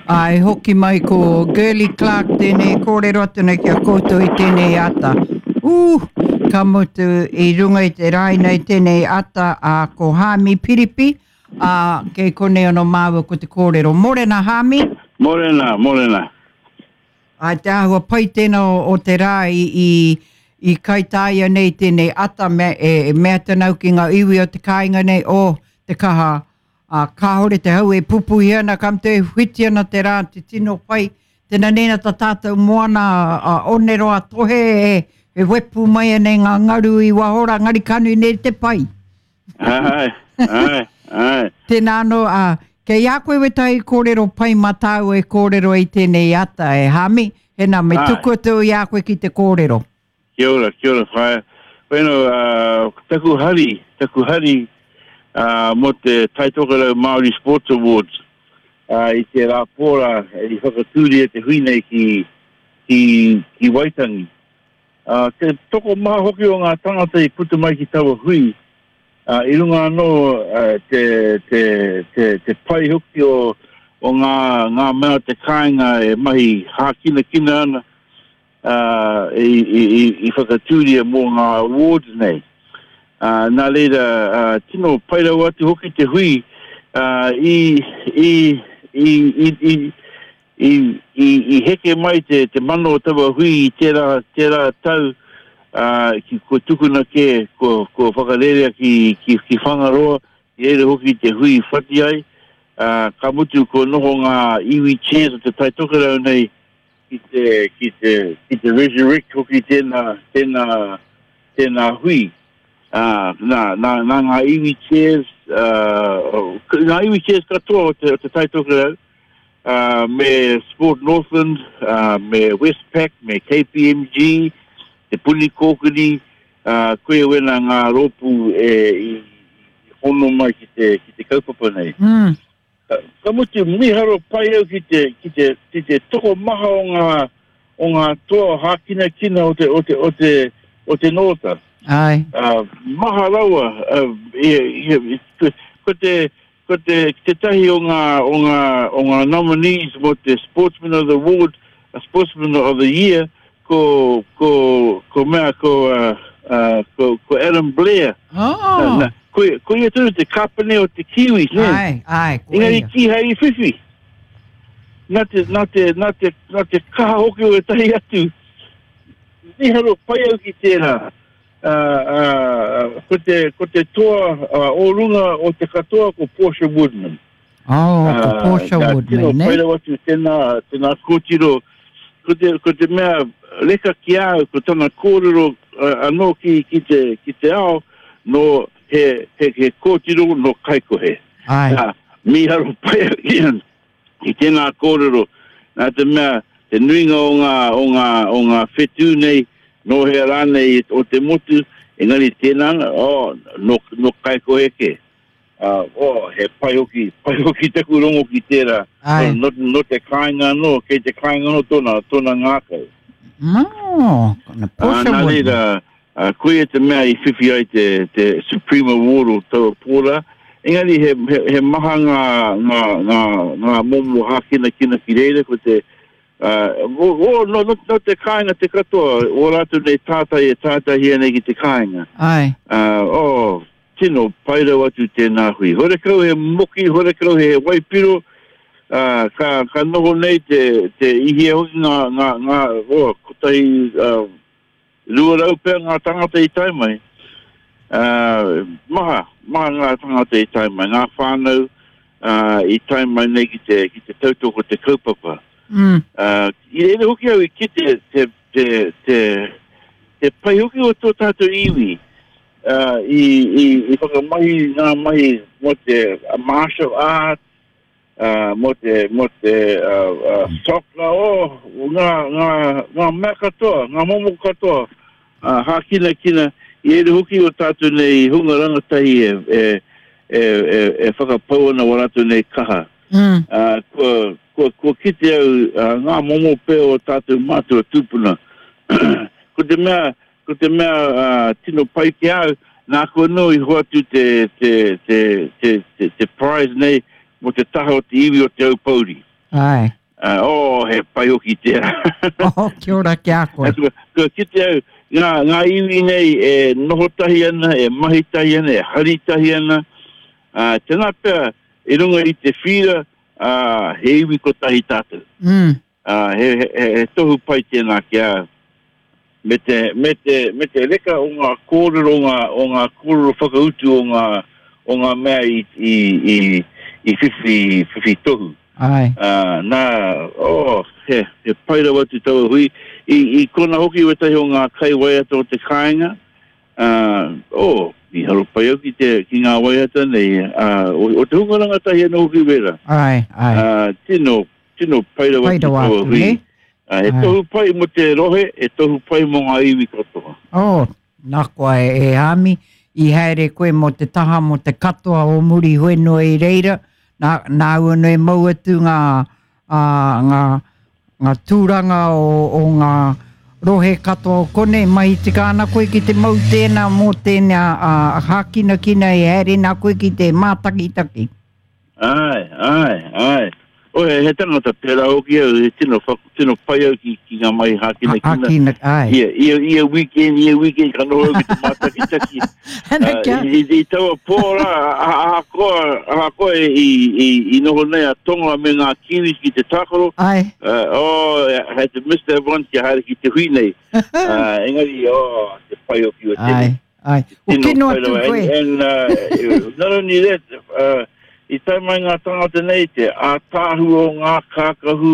Ā, e hoki mai ko Girlie Clark tēnei kōrero atu nei ki a koutou i tēnei ata. Ū, ka mutu i runga i te rāina i tēnei ata, ā, ko Hāmi Piripi, ā, kei konei anō māua ko te kōrero. Mōrena, Hāmi! Mōrena, mōrena. Ā, te āhua pai tēnā o, o te rā i, i, i kaitāia nei tēnei ata, mea, e, e mea atu au ki ngā iwi o te kāinga nei, oh, te kaha Ā, kāore te hau e pupuhi ana, ka mutu e whiti ana te rā, te tino pai. Tēnā nēnā tā tātou moana a Oneroa Tohe e, e wepu mai ana i ngā ngaru i waho rā, ngari ka nui nei te pai. Āe, āe, āe. Tēnā anō, ā, kei a koe wētahi kōrero pai mā tāua e kōrero ai tēnei ata, e Hāmi, hēnā me tuku atu i a koe ki te kōrero. Kia ora, kia ora whaea. Bueno, uh, taku hari, taku hari uh, mō te Taitokerau Māori Sports Awards uh, i te rā pōra i whakatūria te hui nei ki, ki, ki Waitangi. Uh, te tokomaha hoki o ngā tangata i puta mai ki taua hui, uh, i runga anō uh, te, te, te, te pai hoki o, o ngā, ngā mea o te kāinga e mahi hākinakina ana, i whakatūria mō ngā awards nei. Nā reira, tino pai rawa atu hoki te hui i, i, i, i, i, i, i, i heke mai te, te mana o taua hui i tērā, tērā tau, uh, ki, kua tukuna kē, kua, kua whakarerea ki, ki, ki Whangaroa, i reira hoki te hui i whati ai, uh, ka mutu kua noho ngā iwi chairs o te Tai Tokerau nei ki te, ki te, ki te resurrect hoki tēnā, tēnā, tēnā hui. Ā, nā, nā, nā ngā iwi chairs, ā, ngā iwi chairs katoa o te, o te Tai Tokerau, ā, me Sport Northland, ā, me Westpac, me KPMG, Te Puni Kōkiri, ā, koia wena ngā rōpū e, i, i hono mai ki te, ki te kaupapa nei. Mm. Ka mutu, mīharo pai au ki te, ki te, ki te tokomaha o ngā, o ngā toa hākinakina o te, o te, o te, o te Nōta. Āe. Uh, maha rawa, uh, i, i, ko te, ko te, tētahi o ngā, o ngā, o ngā nominees mō te Sportsman of the Award, Sportsman of the Year, ko, ko, ko mea, ko, uh, uh, ko, ko Adam Blair. Oh. Na, na, ko, ko ia tonu te kāpene o te Kiwis, ne? Ai, ai, ko Engari ia. kīhai i whiwhi. Nā te, nā te, nā te, nā te kaha hoki o ētahi atu. Mīharo pai au ki tērā. Uh, uh, ko te, ko te toa uh, o runga o te katoa ko Portia Woodman. Oh, ko Portia Woodman, tino ne? pai rawa atu tēnā, tēnā kōtiro. Ko te, ko te mea reka ki a au, ko tana kōrero uh, anō ki, ki, te, ki te ao, nō he, he, he kōtiro nō Kaikohe. Ai. Nā, mīharo pai au ki tēnā kōrero, nā te mea, te nuinga o ngā, o ngā, o ngā whetū nei, nō hea rānei o te motu, engari tēnā, oh, nō, nō Kaikohe kē. Uh, oh, he pai hoki, pai hoki taku rongo ki tērā. Ai. No, no te kāinga anō, kei te kāinga anō tōna, tōna ngākau. No, kona Uh, Portia nā Woodman. reira, uh, koia te mea i whiwhi ai te, te Supreme Award o taua pōra. Engari he, he, he maha ngā, ngā, ngā, ngā momo hākinakina ki reira, ko te, uh, o, o, no, no, no te kāinga te katoa, o rātou nei tātai e tātaihia nei ki te kāinga. Ai. Uh, oh, Tino pai rawa atu tēnā hui. Horekau he moki, horekau he waipiro, ā, ka, ka noho nei te, te i hia hoki ngā, ngā, ngā, oh, kotahi, ā, 200 pea ngā tāngata i tae mai. Ā, maha, maha ngā tāngata i tae mai, ngā whānau, ā, i tae mai nei ki te, ki te tautoko te kaupapa. Mm. Ā, i reira hoki au i kite te, te, te, te pai hoki o tō tātou iwi, i, i, i whakamahi ngā mahi mō te martial arts, uh, mō te, mō te uh, uh, soccer, oh, ngā, ngā, ngā mea katoa, ngā momo katoa, uh, hākinakina, i reira hoki o tātou nei hunga rangatahi e, e, e, e, e whakapau ana wā rātou nei kaha. Mm. Uh, kua, kua, kua kite au uh, ngā momo pea o tātou mātua tūpuna. Ko te mea, Ko te mea tino pai ki a au, nāku anō i hoatu te, te, te, te, te, te prize nei mō te taha o te iwi o Te Aupōuri. Āe. Oh, he pai hoki tērā. Oh, kia ora ki a koe. Kua kite au, ngā, ngā iwi nei e noho tahi ana, e mahi tahi ana, e hari tahi ana. Uh, tēnā pea, i runga i te whira, uh, he iwi kotahi tātou. Mm. Uh, he, he, he tohu pai tēnā ki a au. Me te, me te, me te reka o ngā kōrero, o ngā, o ngā kōrero whakautu o ngā, o ngā mea i, i, i, i whiwhi, whiwhi tohu. Āe. Ā, nā, oh, he, he pai rawa atu taua hui. I, i kona hoki wētahi o ngā kaiwaiata o te kāinga, ā, oh, mīharo pai au ki te, ki ngā waiata nei, ā, o, o te hunga rangatahi anō hoki wērā. Āe, āe. Ā, tino, tino pai rawa pai rawa atu, hui. Ne? He tohu pai mo te rohe, he tohu pai mo ngā iwi katoa. Oh, nā koa e, e Hāmi, i haere koe mo te taha mo te katoa o Muriwhenua i reira, nā, nāu anō e mau atu ngā, ā, ngā, ngā tūranga o, o ngā rohe katoa o konei, mahi tika ana koe ki te mau tēnā mō tēnā ā, hākinakina e haere nā koe ki te mātakitaki. Āe, āe, āe. Oh, he, he tangata pērā hoki au, he tino, tino pai au ki, ki ngā mahi hākinakina. Hākina, āe. Ia, ia, ia weekend, ia weekend, ka noho au ki te mātakitaki. Ana kia. Uh, i, i, i taua pō rā, ahakoa, ahakoa i, i, i, i noho nei a Tonga me ngā Kiwis ki te tākaro. Āe. Uh, oh, I had to miss that one kia haere ki te hui nei. Uh, engari, oh, te pai hoki o tēnei. Āe. Ai. O kino atu koe. And, and uh, not only that, uh, i tae mai ngā tangata nei, te ātaahu o ngā kākahu,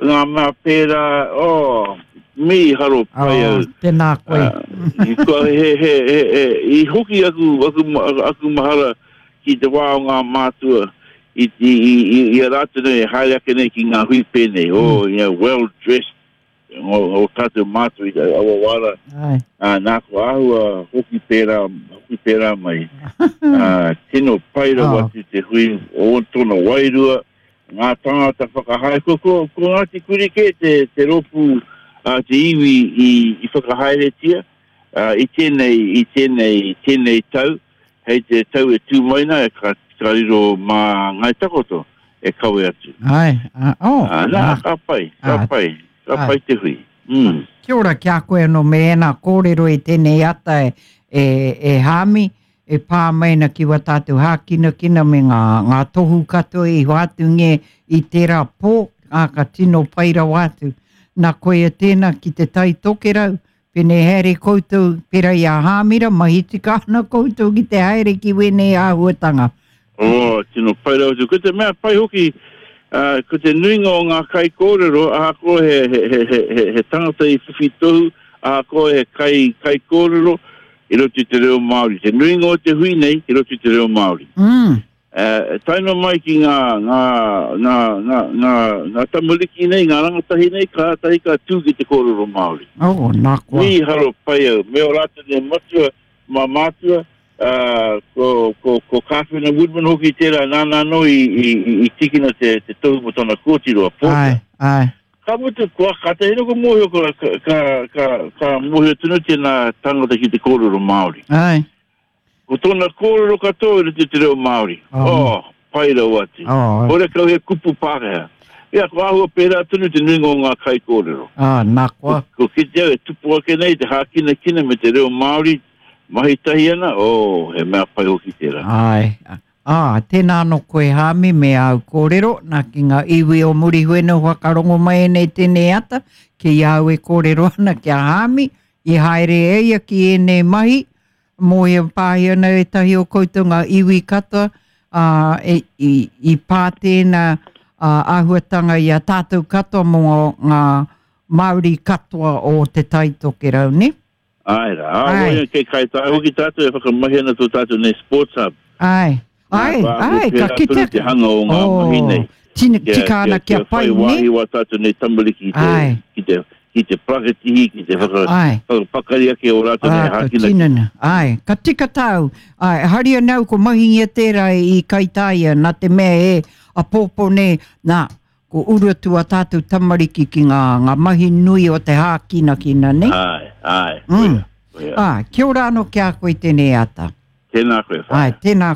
ngā mea pērā, oh, mīharo pai au. Oh, tēnā koe. Uh, i, kua, he, he, he, he, i hoki aku, aku, aku mahara ki te wā o ngā mātua, i, i, i, i, i a rātou nei, haere ake nei ki ngā hui pēnei, oh, you know, well dressed, o, o tātou mātua i aua wā rā. Ai. Ā, nā, ko āhua hoki pērā, hoki pērā mai. Ā, tino pai rawa Oh. atu te hui o tōna wairua, ngā tāngata whakahaere. Ko, ko, ko Ngāti Kuri kē te, te rōpū a te iwi i, i whakahaeretia ā, i tēnei, i tēnei, tēnei tau, hei te tau e tū mai nā, ka, ka riro mā Ngāi Takoto e kawe atu. Ai, a, oh, Ā, nā, ka pai, ka Ā. pai, ka Ā. pai te hui. Mm. Kia ora ki a koe anō me ēnā kōrero i tēnei ata e, e, e Hāmi, e pā mai ana ki wā tātou hākinakina me ngā, ngā tohu katoa i hoatungia i tērā pō, ā, ka tino pai rawa atu. Nā koia tēnā ki te Tai Tokerau, Pēnei haere koutou, pērā i a Hāmira, mahi tika ana koutou ki te haere ki wēnei āhuatanga. Oh, tino pai rawa atu. Ko te mea pai hoki, uh, ko te nuinga o ngā kaikōrero, ahakoa he, he, he, he, he, he tangata i whiwhi tohu, ahakoa he kai, kaikōrero, i roto i te reo Māori. Te nuinga o te hui nei, i roto i te reo Māori. Mm. E tae noa mai ki ngā, ngā, ngā, ngā, ngā, ngā tamariki nei, ngā rangatahi nei, kātahi ka tū ki te kōrero Māori. Oh, nā koa. Mīharo pai au. Me ō rātou nei matua, mā mātua, ā, ko, ko, ko Kāwhena Woodman hoki tērā, nāna anō i, i, i, i tīkina te, te tohu mō tana kōtiro a Porter. Āe, āe. Ka mutu, kua, kātahi anō ka mōhio, ka, ka, ka, ka, ka mōhio tonu tēnā tangata ki te kōrero Māori. Āe. Ko tōna kōrero katoa i roto i te reo Māori. Oh. Oh, pai rawa atu. Oh. Horekau he kupu Pākehā. Ia, ko āhua pērā tonu te nuinga o ngā kaikōrero. Ah, nā koa. Ko, ko kite au e tupu ake nei te hākinakina me te reo Māori, mahi tahi ana, oh, he mea pai hoki tērā. Āe. Ā, tēnā anō koe Hāmi me āu kōrero, nā ki ngā iwi o Muriwhenua whakarongo mai nei tēnei ata, ki a au e kōrero ana ki a Hāmi, i haere e ia ki ēnei mahi, Mōhio pāhi ana ētahi o koutou ngā iwi katoa, ā, e, i, i pā tēnā ā, āhuatanga i a tātou katoa mō ngā Māori katoa o Te Tai Tokerau, nē? Āe rā, ā, Āe. wai kei Kaitaia hoki tātou e whakamahi ana tō tātou nei sports hub. Āe, Nā, āe, kua āhua āe, ka pērā tonu kitea. te hanga o ngā mahi nei. Tino, Kia, tika ana kia, kia kia whai pai, nē? wāhi wā tātou nei tamariki ki te, Āe. ki te, ki te parakatihi, ki te whaka, Āe. whakapakari ake o rātou nei Ā, ka hākinakina. tinana. Āe, ka tika tāu. Āe, hari ana au ko mahingia tērā i Kaitāia, nā te mea e apōpō nei, nā, ko uru atu a tātou tamariki ki ngā, ngā mahi nui o te hākinakina, nei? Āe, āe, Mm. koia, koia. Āe, kia ora anō ki a koe tēnei ata. Tēnā koe, whaea. Āe, tēnā.